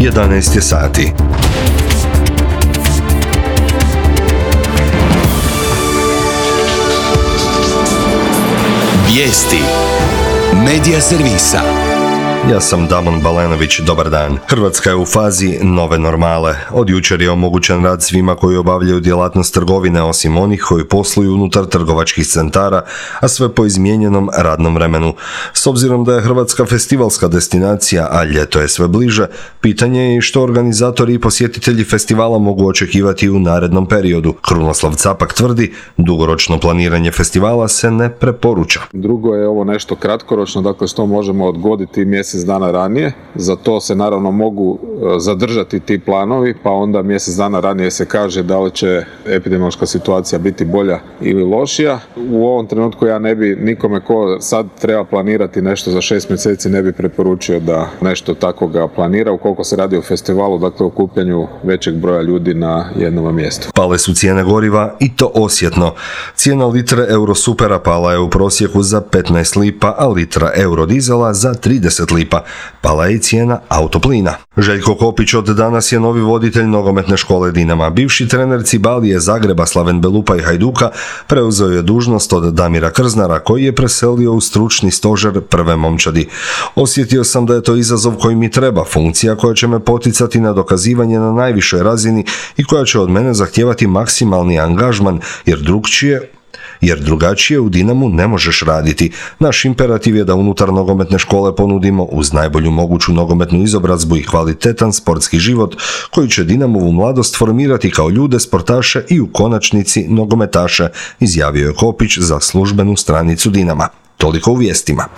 11 je sati. Vijesti Medija servisa. Ja sam Damon Balenović, dobar dan. Hrvatska je u fazi nove normale. Od jučer je omogućen rad svima koji obavljaju djelatnost trgovine, osim onih koji posluju unutar trgovačkih centara, a sve po izmijenjenom radnom vremenu. S obzirom da je Hrvatska festivalska destinacija, a ljeto je sve bliže, pitanje je i što organizatori i posjetitelji festivala mogu očekivati u narednom periodu. Krunoslav Capak tvrdi, dugoročno planiranje festivala se ne preporuča. Drugo je ovo nešto kratkoročno, dakle što možemo odgoditi mjesec dana ranije. Za to se naravno mogu zadržati ti planovi, pa onda mjesec dana ranije se kaže da li će epidemiološka situacija biti bolja ili lošija. U ovom trenutku ja ne bi nikome ko sad treba planirati nešto za 6 mjeseci ne bi preporučio da nešto takvoga planira ukoliko se radi o festivalu, dakle o okupljanju većeg broja ljudi na jednom mjestu. Pale su cijene goriva i to osjetno. Cijena litre Eurosupera pala je u prosjeku za 15 lipa, a litra Eurodizela za 30 lipa. Pala je i cijena autoplina. Željko Kopić od danas je novi voditelj nogometne škole Dinama. Bivši trener Cibalije Zagreba Slaven Belupa i Hajduka preuzeo je dužnost od Damira Krznara, koji je preselio u stručni stožer prve momčadi. Osjetio sam da je to izazov koji mi treba, funkcija koja će me poticati na dokazivanje na najvišoj razini i koja će od mene zahtijevati maksimalni angažman, jer drugačije u Dinamu ne možeš raditi. Naš imperativ je da unutar nogometne škole ponudimo uz najbolju moguću nogometnu izobrazbu i kvalitetan sportski život koji će Dinamovu mladost formirati kao ljude, sportaše i u konačnici nogometaše, izjavio je Kopić za službenu stranicu Dinama. Toliko u vijestima.